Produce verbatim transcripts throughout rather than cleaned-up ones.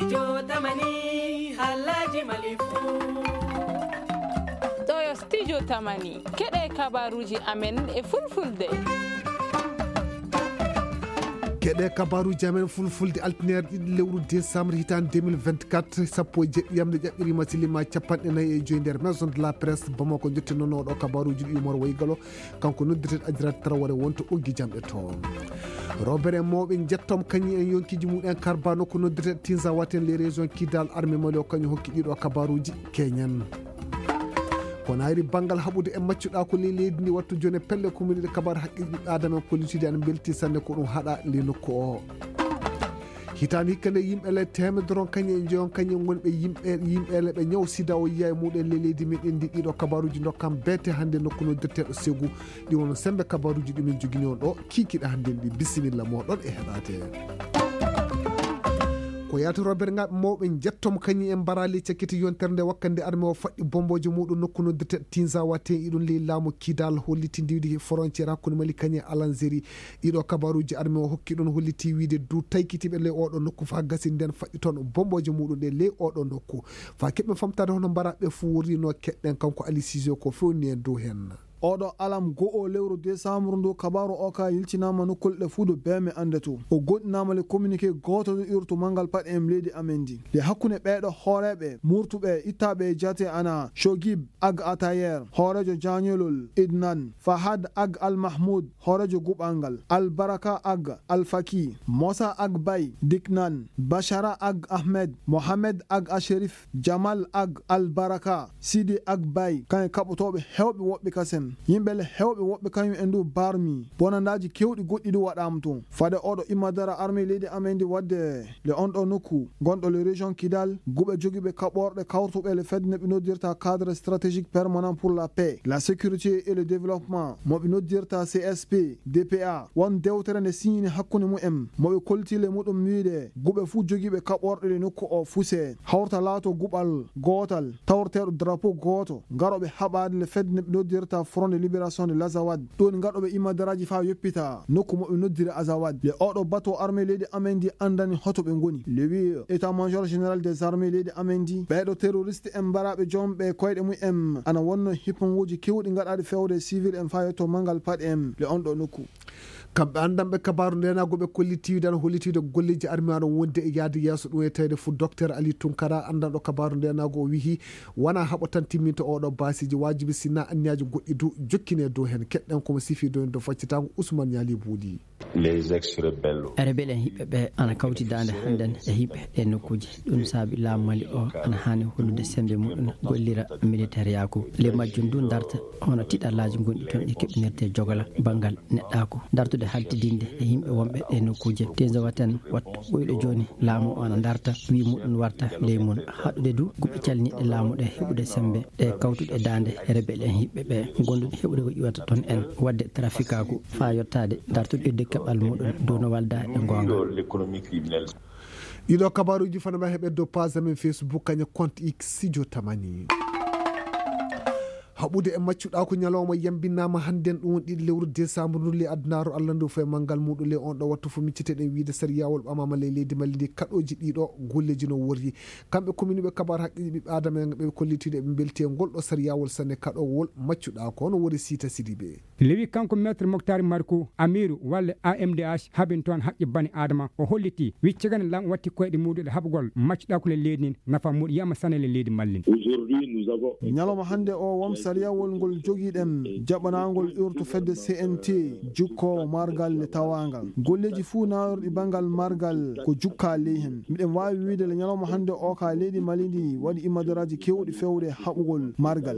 Studio Tamani, halaji malifu. Ɗo yo Studio Tamani. Keɗe kabaruji amen e fulfulde. Keɗe kabaruji amen fulfulde, altineer ɗiɗi lewru décembre hitaande deux mille vingt-quatre, sappo e jeɗɗi yamde ƴaɓɓirima silima capanɗe nayi e joyi nder Maison de la Presse Bamako. Jottinono ɗo kabaruji ɗi Umar Waygalo, kanko noddirteɗo Adirata Tarawore wonto ɓoggi jamɗe to. Robere mawɓe jettom kañi en yonkiji mumen karba nokku noddirteɗo Tinzawaten les régions Kidal armée Mali o kañum hokki ɗiɗo kabaruji keñen. Ko nayri banngal haɓude e maccuɗa ko ley leydi ndi wattu jone pelle commune ɗe kabar haqqe ɓiɓɓe adama en kollitidi an belti sanne ko ɗum haɗa ley nokku o. Hitaande hikka nde yimɓe le teemedere on kañum e joyon kañum wonɓe yimɓe yimɓe le ɓe ñaw sida o yiya e muɗen ley leydi meɗen ndi ɗiɗo kabaruji dokkam beete hannde nokku noddirteɗo segu. Ɗi won sembe kabaruji ɗumen jogini on ɗo kikiɗe hannde ndi. Bisimilla moɗon e heɗate. Ko yaato robergaɓe mawɓe jettom kañum en mbarali cakkiti yontere nde wakkande arme o faɗɗi bombojo muɗum nokku noddirteɗo Tinzawa ten iɗum ley laamu Kidal holliti ndiwdi frontiére hakkunde Mali kañum e Alanzeri. Ɗiɗo kabaruji arme o hokki ɗon holliti wiide du taykitiɓe ley oɗo nokku fa gasi nden faɗɗi toon bomboje muɗum ɗe ley oɗo nokku. Fa keɓɓe famtade hono mbaraɓe fuu worrino keɗɗen kanko Ali Sijo ko fewni en dow hen. Oɗo alam go'o lewru décembre ndu kabaru o ka yiltinama nokkulɗe fuu do beme ande to o goɗɗinama le communiqué goto do urtu mangal paɗe em leydi amen ndi le hakkunde ɓeɗo hooreɓe murtuɓe ittaɓe e jate ana Shogib ag Atayer hoorejo jañolol Idnan Fahad ag Al Mahmoud hoorejo guɓal ngal, Albaraka ag Alfaki, Mosa ag Bay, Diknan, Bashara ag Ahmed, Mohamed ag Asherif, Jamal ag Albaraka, Sidi ag Bay, kañum kaɓotooɓe heewɓe woɓɓe kasen. Yimɓe le heewɓe woɓɓe kañum en du barmi, bonandaaji keewɗi goɗɗi du waɗaama toon. Fade oɗo imma dara armée leydi amen ndi waɗde le on ɗo nokku gonɗo le région Kidal, guɓe jogiiɓe kaɓorɗe kawrutuɓe le fedde ne ɓe noddirta cadre stratégique permanent pour la paix, la sécurité et le développement, mo ɓe noddirta C S P, D P A, won dewtere nde siñini hakkunde mumen, mo ɓe kolti le muɗum wiide guɓe fuu jogiiɓe kaɓorɗe le nokku o fuse, hawrta laato guɓal gootal, tawreteeɗo drapeau gooto, garoɓe haɓaade le fedde ne ɓe noddirta Front de Libération de l'Azawad, ɗon gaɗoɓe imadaraaji faa yoppita nokku mo ɓe noddiri Azawad. Le oɗo bato armée leydi amen ndi anndani hoto ɓe ngoni. Le wi état major général des armées leydi amen ndi, ɓeeɗo terroriste en mbaraaɓe joom ɓe koyɗe mumen ana wonno hipponguuji keewɗi gaɗaaɗi fewde civil en faa yetto mangal paɗe en le on ɗo nokku. Kamɓe anndanɓe kabaaru ndeenaagu ɓe kolliti wiide ana holliti wiide golleeji armée ana wonde e yahde yeeso, ɗum e tawde fuu docteur Ali Tunkara anndanɗo kabaaru ndeenaagu o wiyi wonaa haɓo tan timminta oɗo baasiiji waajibi sinaa anniyaaji goɗɗi du jokkine dow heen. Keɗɗen ko mo sifi dow heen dow faccitaango Ousmane Ñaali Buuɗi. Les ex-rebelles. Rebel en hiɓɓe ɓe ana kawti daande hannden e hiɓɓe ɗe nokkuuji. Ɗum saabi laamu Mali o ana haani hollude semmbe muɗum gollira militeeriyaaku. Ley majjum du ndarta hono tiɗallaaji gonɗi toon ɗi keɓinirte jogola banngal neɗɗaaku. Dartude haltidinde e yimɓe wonɓe ɗe nokkuuje. Tenzowaten wattu ɓuyɗo jooni laamu o ana ndarta wii muɗum warta ley mum. Haɗude du guɓe calniiɗe laamu ɗe heɓude semmbe ɗe kawtuɗe daande rebel en hiɓɓe ɓe gonduɗe heɓude ko ƴuwata toon en waɗde trafikaaku faa yottaade dartude idde keɓal muɗum dow no walda e goonga. L'économie criminelle. Ɗiɗo kabaruji fana ma heɓe dow page amen Facebook kaña compte X Studio Tamani. Haɓude e maccuɗa ko ñalawma yambinama hannden ɗum woni ɗiɗi lewru décembre ndu le addunaru Allah ndu fo e manngal muɗum le on ɗo wattu fo micciteɗen wiide sariyawol ɓamama ley leydi Mali ndi kaɗoji ɗiɗo golleji no worri. Kamɓe kominuɓe kabar haqqeji ɓiɓɓe adama en ɓe kollitiɗe ɓe belti e ngol ɗo sariyawol sanne kaɗowol maccuɗa ko no wori Sita Sidibe. Lewi kanko Maître Moctar Marco, Amiru walla A M D H, habin toon haqqe bani Adama. O holliti, wi cagane lam watti koyɗe muɗum e haɓugol maccuɗa ko le leydi nin, nafa muɗum yama sanele leydi mallin. Aujourd'hui, nous avons Ñalawma hannde o won sariyawol ngol jogiɗen jaɓanaangol urtu fedde C N T jukko margal le tawaangal. Golleeji fuu naawirɗi banngal margal ko jukka ley hen. Miɗen waawi wiide le ñalawma hannde o ka leydi Mali ndi waɗi imadaraaji keewɗi fewde haɓugol margal.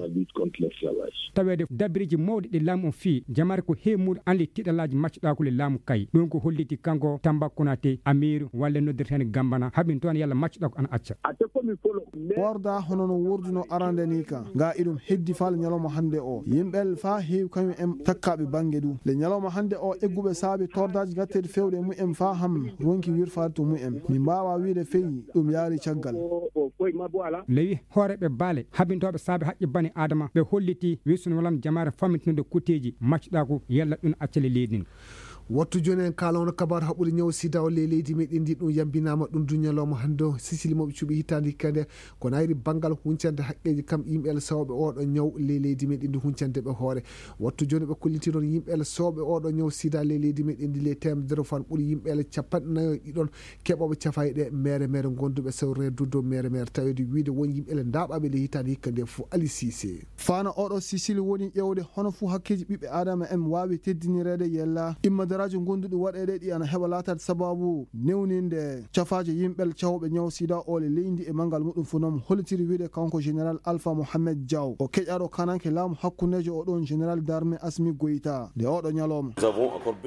Taweede dabiriji mawɗi ɗi laamu on fii, jamaare ko heewi muuɗum anndi tiɗalaaji maccuɗaaku le laamu kay. Ɗum ko holliti kanko Tamba Konate, Amiiru, walla noddirten Gambana, haɓin toon yalla maccuɗaaku ana acca. Worda hono no worduno arande ni ka. Nga iɗum heddi faa le ñalawma hannde o. Yimɓe faa heewi kañum en takkaaɓe bannge du. Le ñalawma hannde o egguɓe saabi tordaaji gatteeɗi fewde e mumen faa ham ronki wirfaade to mumen. Mi mbaawa wiide fey ɗum yaari caggal. Lewi hooreeɓe baale habintooɓe saabe haqqe bani Aadama ɓe holliti wi sunu walan jamaare fammintinude kutteeji maccuɗaaku yalla ɗum accale leydi ndin. Wattu jooni en kaala on kabaru haɓɓude ñaw sida o ley leydi meɗen ndi. Ɗum yambinaama ɗum du ñalawma hannde o. Sicili moɓe cuɓi hitaande hikka nde ko nayri banngal huncande haqqeeji kam yimɓe el sawɓe oɗo ñaw ley leydi meɗen ndi huncande ɓe hoore. Wattu jooni ɓe kolliti noon yimɓe el sawɓe oɗo ñaw sida ley leydi meɗen ndi ley teemedere fan ɓuri yimɓe el capanɗe nayo ɗiɗon keɓooɓe cafayɗe mere mere gonduɓe sawreedu dow mere mere taweede wiide won yimɓe el ndaaɓaaɓe ley hitaande hikka nde fof. Ali Sise. Faana oɗo Sicili woni ƴeewde hono fuu hakkeeji ɓiɓɓe Aadama en waawi teddinireede yella immadaraaji gonduɗi waɗeede ɗi ana heɓa laataade sababu newninde cafaaje yimɓe cawɓe ñaw sida o le leydi e manngal muɗum fof noon hollitiri wiide kanko Général Alpha Mohamed Diaw. O keƴaɗo kananke laamu hakkundeejo o ɗon Général d'armée Asmi Goïta nde oɗo ñalawma.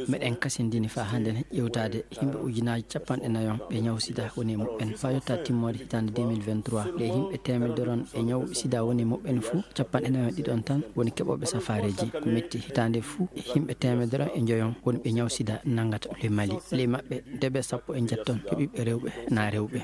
Meɗen kasindini faa hannde ƴeewtaade yimɓe ujunaaji capanɗe nayon ɓe ñaw sida woni e muɓɓen. Faa yottaa timmoode hitaande deux mille vingt-trois, ɗe yimɓe teemedere on ɓe ñaw sida woni e muɓɓen fuu, capanɗe nayon e ɗiɗon tan woni keɓooɓe safaareeji. Ko metti hitaande fuu, e yimɓe teemedere on e njoyon woni ɓe ñaw sida nanngata le Mali. Ley maɓɓe, debe sappo e njetton ko ɓiɓɓe rewɓe naa rewɓe.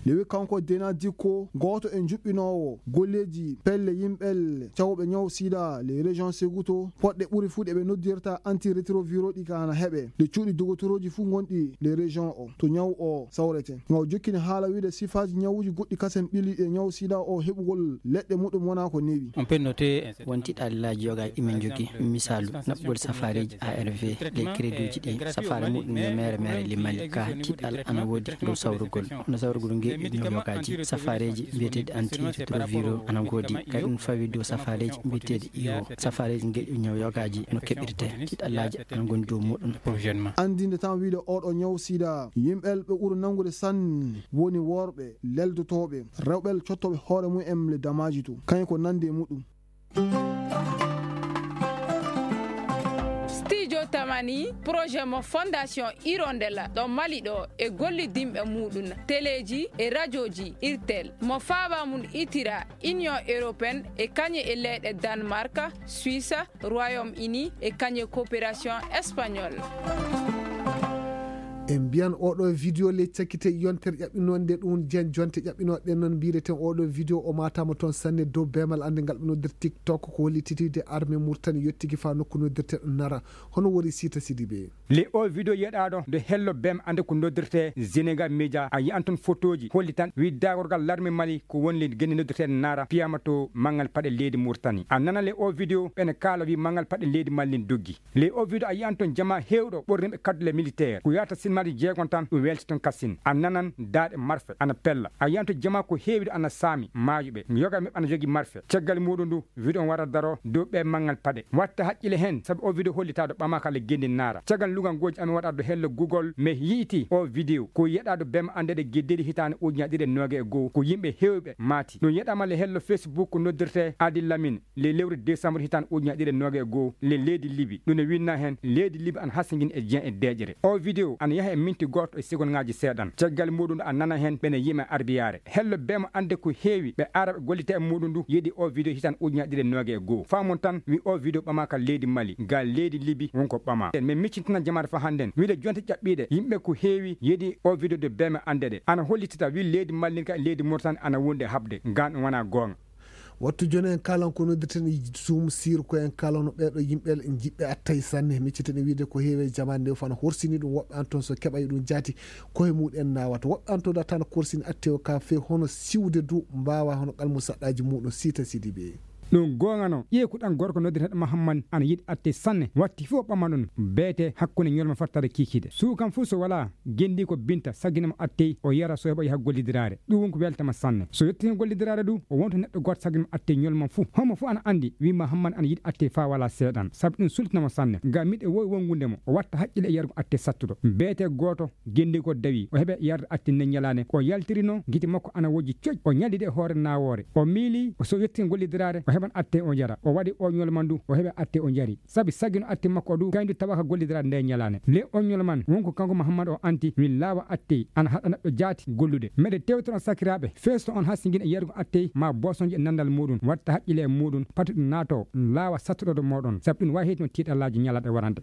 Lewi kanko Dena Dikko, gooto e njuɓɓinoowo golleeji pelle yimɓe cawɓe ñaw sida les régions Seguto, poɗɗe ɓuri fuu ɗe ɓe noddirta antirétroviraux ɗi ka ana heɓe. Ɗe cuuɗi dogotorooji fuu ngonɗi les régions o, to ñaw o sawrete. Nga o jokkini haala wiide sifaaji ñawuuji goɗɗi kasen ɓili e ñaw sida o heɓugol leɗɗe muɗum wonaa ko newi. On peut noter un certain Won tiɗallaaji yogaaji ɗi min njogii, misaalu, naɓgol safaareeji A R V, les créditji ɗi safaare muɗum yo mere mere le Mali, ka tiɗal ana woodi dow sawrugol. Hono sawrugol ngeeƴu ñaw yogaaji, safaareeji mbiyeteeɗi antirétroviraux ana ngoodi. Kadi ɗum fawi dow safaareeji mbiyeteeɗi I O, safaareeji ngeeƴu ñaw yogaaji no keɓirte. Tiɗallaaji ana ngondi dow muɗum. Prochainement. Anndinde tan wiide oɗo ñaw sida, yimɓe ɓe ɓuri nanngude sanne woni worɓe, leldotooɓe, rewɓe cottooɓe hoore mum en le damaaji to. Kañum ko nannde e muɗum. Studio Tamani, projet mo Fondation Hirondella ɗo Mali ɗo e gollidinɓe muɗum, teleeji e rajooji Irtel, mo faaba mum itira Union Européenne e kañe e leyɗe Danemark, Suisse, Royaume-Uni e kañe coopération espagnole. En mbiyan oɗo vidéo ley cakkite yontere ƴaɓɓinoonde ɗum jen jonte ƴaɓɓinooɗen noon mbireten oɗo vidéo o matama toon sanne dow beemal annde ngal ɓe noddirta TikTok ko hollititiide armée Murtani yottiki faa nokku noddirteɗo Nara. Hono wori Sita Sidibe? Le o vidéo yeɗaaɗo nde hello beem annde ko noddirte Sénégal Média a yiyan toon fotooji hollitan widdagorgal larme Mali ko woni le genne noddirteɗo Nara piyama to manngal paɗe leydi Murtani. A nana le o vidéo ɓene kaala wi manngal paɗe leydi Mali ndin doggi. Ley o video a yiyan toon jamaa heewɗo ɓorniiɓe kaddule militeer ko yahata sinmaaji jeegon tan ɗum weelti toon kasin. A nanan daaɗe marfe ana pella. A yiyan toon jamaa ko heewi ɗo ana saami maayuɓe. Yoga maɓɓe ana jogii marfe. Caggal muuɗum ndu video on wara daro dow ɓee manngal paɗe. Watta haqqile heen sabi o video hollitaɗo ɓamaaka le genndi naara. Caggal lugangooji amin waɗaɗo hello Google mi yi'iti o video ko yeɗaɗo bem anndeɗe geddeli hitaande ujunaaji ɗiɗi e noogay e goo ko yimɓe heewɓe maati. Ɗum yeɗaama le hello Facebook ko noddirte Adi Lamin. Ley lewru décembre hitaande ujunaaji ɗiɗi e noogay e goo, ley leydi Libi, ɗum ne winnaa heen, leydi Libi ana hasingini e jeyan e deeƴre. Oo video ana yaha e minti gooto e segondŋaaji seeɗan. Caggal muuɗum a nana heen ɓe ne yima e arbiyaare. Hello bee mo annde ko heewi ɓe ara ɓe gollita e muuɗum ndu yeɗi oo video hitaande ujunaaji ɗiɗi e noogay e goo. Faamon tan, wi oo video ɓamaaka leydi Mali, ga leydi Libi won ko ɓamaa. Min miccintina jamaare faa hannden, wiyde jonte ƴaɓɓiiɗe, yimɓe ko heewi yeɗi oo video de bee mo anndeɗe. Ana hollitita, wi leydi Mali ka leydi Mauritanie ana wondi e haɓde, gaan ɗum wonaa goonga. Wattu jooni en kaalan ko noddirten e Zoom sir ko en kaalano ɓeeɗo yimɓe jiɓɓe attay sanne. Micciten e wiide ko heewi e jamaane nde fof ana horsini ɗum. Woɓɓe an toon so keɓay ɗum jaati koye muɗum en naawata. Woɓɓe an toon data ana korsini atte o ka few hono siwde du mbaawa hono qalmu saɗɗaaji muɗum Siita Sidibe. Ɗum goonga no ƴeekuɗan gorko noddirteeɗo Mahamman ana yiɗi atte sanne. Watti fof ɓama ɗum beete hakkunde ñolma fattata kiikiiɗe. Suukan fof so walaa genndi ko binta sagginama attey o yara so heɓa yaha gollidiraare. Ɗum won ko weltama sanne. So yettii gollidiraare du, o wonta neɗɗo gooto sagginama attey ñolma fuu. Homo fuu ana anndi, wi ma Hamman ana yiɗi attey faa walaa seeɗan. Sabu ɗum sultinama sanne. Ngam miɗo woowi wongude mo, o watta haqqille e yargo attey sattuɗo. Beete gooto, genndi ko dawi, o heɓa yarde attey nden ñalaande. O yaltirino, gite makko ana wojji coƴ. O ñallidi e hoore naawoore. O miili, so yettii gollidiraare, o heɓan attey o yara. O waɗi o ñolma ndu, o heɓa attey o yari. Sabi saggino atte makko o du, kañum du tawa ka gollidiraade nde ñalaande. Le oñol man, won ko kanko Mahammad o anti, min laawa attey, ana haɗa neɗɗo jaati gollude. Meɗe tewtono sakiraaɓe, feesto on hasingin e yargo attey, ma bosonje e nanndal muɗum, watta haqqile e muɗum, pati ɗum naato, laawa sattuɗoɗo moɗon, sabi ɗum wawi heytino tiiɗallaaji ñalaaɗe warande.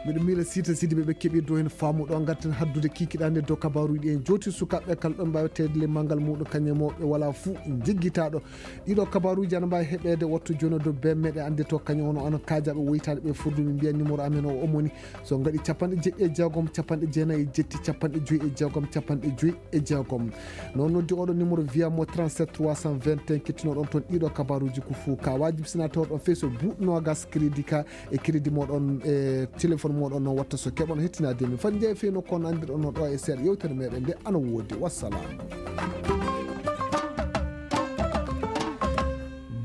Miɗo miila Siita Sidibe ɓe keɓi dow heen faamu ɗo ngarten haddude kikiɗaande dow kabaaruuji ɗi en jooti. Sukaaɓe kala ɗon mbaawi tawde le manngal muɗum kañum e mawɓe wala fuu jiggitaaɗo. Ɗiɗo kabaaruuji ana mbaawi heɓeede wattu jooni dow bee meɗe annde to kañum ono ana kaajaaɓe woytaaɓe ɓe furdu min mbiya numéro amen o omoni so ngaɗi capanɗe jeɗɗi e jeegom capanɗe jeenayi e jetti capanɗe joyi e jeegom capanɗe joyi e jeegom. Noon noddi oɗo numéro via mo trente-sept trois cent vingt et un kettinoɗon toon ɗiɗo kabaaruuji ko fuu ka wajibi sina tawa ɗon fey so buuɗ noogas crédit ka e crédit moɗon e téléphone moɗon noon watta so keɓon hettinaade min fati jeeya fey nokku on anndirɗon no ɗo e seeɗa yewtere meɗen nde ana woodi wassalam.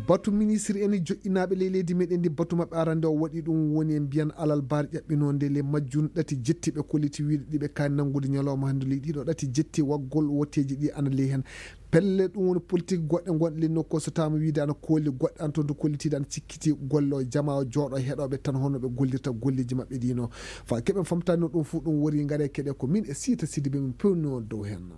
Batu ministre en joƴƴinaaɓe ley leydi meɗen ndi batu maɓɓe arande o waɗi ɗum woni en mbiyan alal baar ƴaɓɓinoonde le majjun ɗati jetti ɓe kolliti wiide ɗiɓe kaani nanngude ñalawma hannde ley ɗiɗo ɗati jetti waggol wotteeji ɗi ana ley heen. Pelle ɗum woni politique goɗɗe gonɗe ley nokku o so tawama wiide ana kooli goɗɗe ana toon to kollitiiɗe ana cikkiti golle o jama o jooɗo heɗoɓe tan hono ɓe gollirta golleji maɓɓe ɗino. Fa keɓen famtani no ɗum fuu ɗum wori ngare keɗe ko min e Siita Sidibe min pewni on dow heen.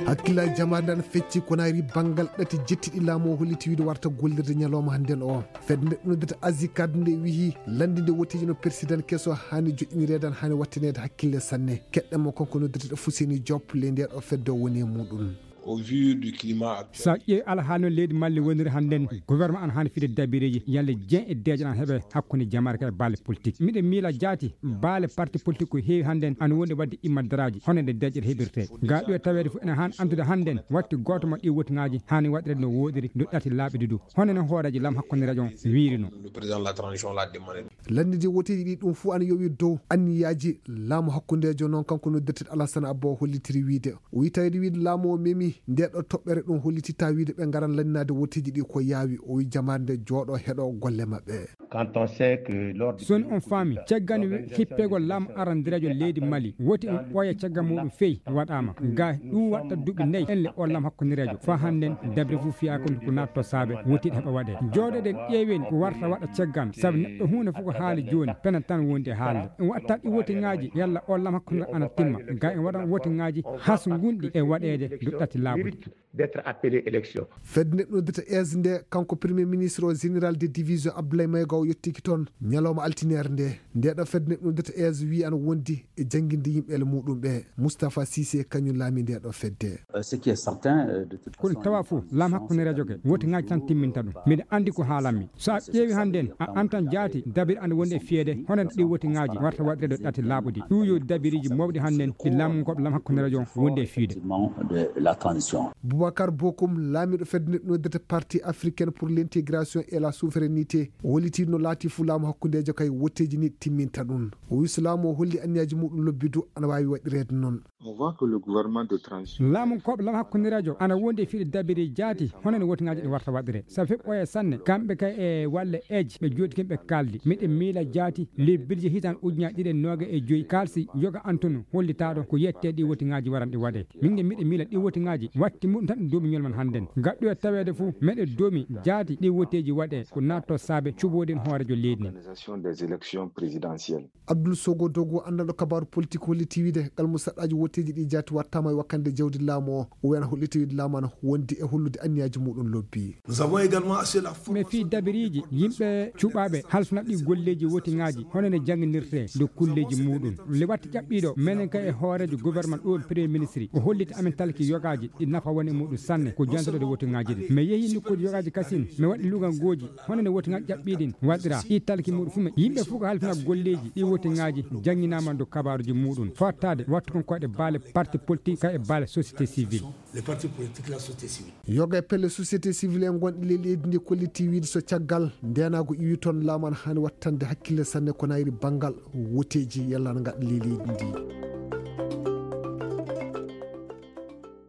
Hakkillaaji jamaare nde ana fecci ko nayri banngal ɗati jettiɗi laamu o holliti wiide warta gollirde ñalawma hannden o. Fedde nde ɗum noddata Asie Card nde wiyi lanndinde woteeji no persidan keso haani joƴƴinireede an haani wattaneede hakkille sanne. Keɗɗen mo kanko noddirteɗo Fuseni Diop ley nde ɗo fedde o woni e muɗum. Au vu du climat actuel. So a ƴeewi alhaali no leydi Mali woniri hannden, gouvernement an haani fide dabireeji yalla jen e deeƴan an heɓe hakkunde jamaare ka e baale politique. Miɗo miila jaati baale parti politique ko heewi hannden ana wondi wadde immadaraaji hono nde deeƴere heɓirte. Ga ɗo e taweede fof ene haani andude hannden watti gooto mo ɗi wotiŋaaji haani waɗireede no wooɗiri ndu ɗati laaɓi ɗiɗo. Hono no hooreejo laam hakkunde rajo on wiiri no. Le président de la transition l'a demandé. Lanndinde woteeji ɗi ɗum fuu ana yowi dow anniyaaji laamu hakkundeejo noon kanko noddirteɗo Alassane Abba o hollitiri wiide o wi taweede wiide laamu o memi nde ɗo toɓɓere ɗum hollititta wiide ɓe ngaran lanndinaade woteeji ɗi ko yaawi o wi jamaare nde jooɗo heɗo golle maɓɓe. Quand on sait que l'ordre soni on faami caggal hippegol laamu arandireejo leydi Mali woti on ɓooya caggal muɗum fey waɗaama ga ɗum waɗta duuɓi nayi en le on laamu hakkundireejo fa hannden dabre fof fiyaaka ko natto saabe wotiiɗe heɓa waɗe jooɗoɗen ƴeewen ko warta waɗa caggal sabu neɗɗo huunde fof ko haali jooni pena tan wondi e haalde en waɗta ɗi wotiŋaaji yalla on laamu hakkundireejo ana timma ga en waɗan wotiŋaaji has ngunɗi e waɗeede duɗɗati laaɓude. D'être appelé élection. Fedde nde noddata es nde kanko premier ministre o général de division Abdoulaye Maïga o yettiki toon ñalawma altiniere nde. Nde ɗo fedde nde noddata es wi ana wondi e jannginde yimɓe ele muɗum ɓe. Moustapha Cissé kañum laami nde ɗo fedde. Euh, ce qui est certain, euh, de toute façon, kono tawa fof laam hakkunde radio ke wotiŋaaji tan timminta ɗum. Miɗa anndi ko haalanmi. So a ƴeewi hannden a antan jaati dabir ana wondi e fiyede hono ɗi wotiŋaaji warta waɗirede ɗati laaɓuɗi ɗum yo dabiriji mawɗi hannden ɗi laamu goɓ laam hakkunde radio wondi e fiyde. Effectivement, de la transition. Boubacar Bokoum laamiɗo fedde nde noddata parti africaine pour l'intégration et la souveraineté o holliti no laati fuu laamu hakkundeejo kay wotteeji ni timminta ɗum. O wi so laamu o holli anniyaaji muɗum lobbidu ana waawi waɗireede noon. On voit que le gouvernement de transition. Laamu koɓe laam hakkundireejo ana wondi e fiɗe dabiri jaati hono no wotiŋaaji ɗi warta waɗire sabu heɓɓoye sanne kamɓe kay e walle eej ɓe jooɗi kin ɓe kaldi miɗe miila jaati lebbirji hitan ujunaaji ɗiɗi e nooga e joyi kalsi yoga antonu hollitaaɗo ko yette ɗi wotiŋaaji waran ɗi waɗe min nge miɗe miila ɗi wotiŋaaji watti muɗum tan ɗum doomi ñol man hannden gaɗɗo e taweede fof meɗe doomi jaati ɗi woteeji waɗe ko natto saabe cuɓoɗen hoorejo leydi ndi. Organisation des élections présidentielles. Abdoul Sogo Dogo anndanɗo kabaaru politik holliti wiide ngal mo saɗɗaaji wotteeji ɗi jaati wattaama e wakkande jawdi laamu o o wiyana holliti wiide laamu ana wondi e hollude anniyaaji muɗum lobbi. Nous avons également assuré la mi fii dabiriiji yimɓe cuɓaaɓe halfinaɓe ɗi golleeji wotiŋaaji hono ne jannginirtee dow kulleeji muɗum le watti ƴaɓɓiiɗo menen kay e hooreejo gouvernement ɗo premier ministre o holliti amen talki yogaaji ɗi nafa woni e muɗum sanne ko jantoɗo wotiŋaaji ɗi mi yehi nokkuuji yogaaji kasin mi waɗi lugangooji hono ne wotiŋaaji ƴaɓɓiiɗin waɗira ɗi talki muɗum fuu men yimɓe fof ko halfina golleeji ɗi wotiŋaaji jannginaama dow kabaaruuji muɗum fottaade wattu kon koyɗe baale parti politique kay e baale société civile. Les partis politiques, la société civile. Yoga e pelle société civile en gonɗi ley leydi ndi kolliti wiide so caggal ndenaagu iwi toon laamu ana haani wattande hakkille sanne ko nayri banngal woteeji yalla ana ngaɗa ley leydi ndi.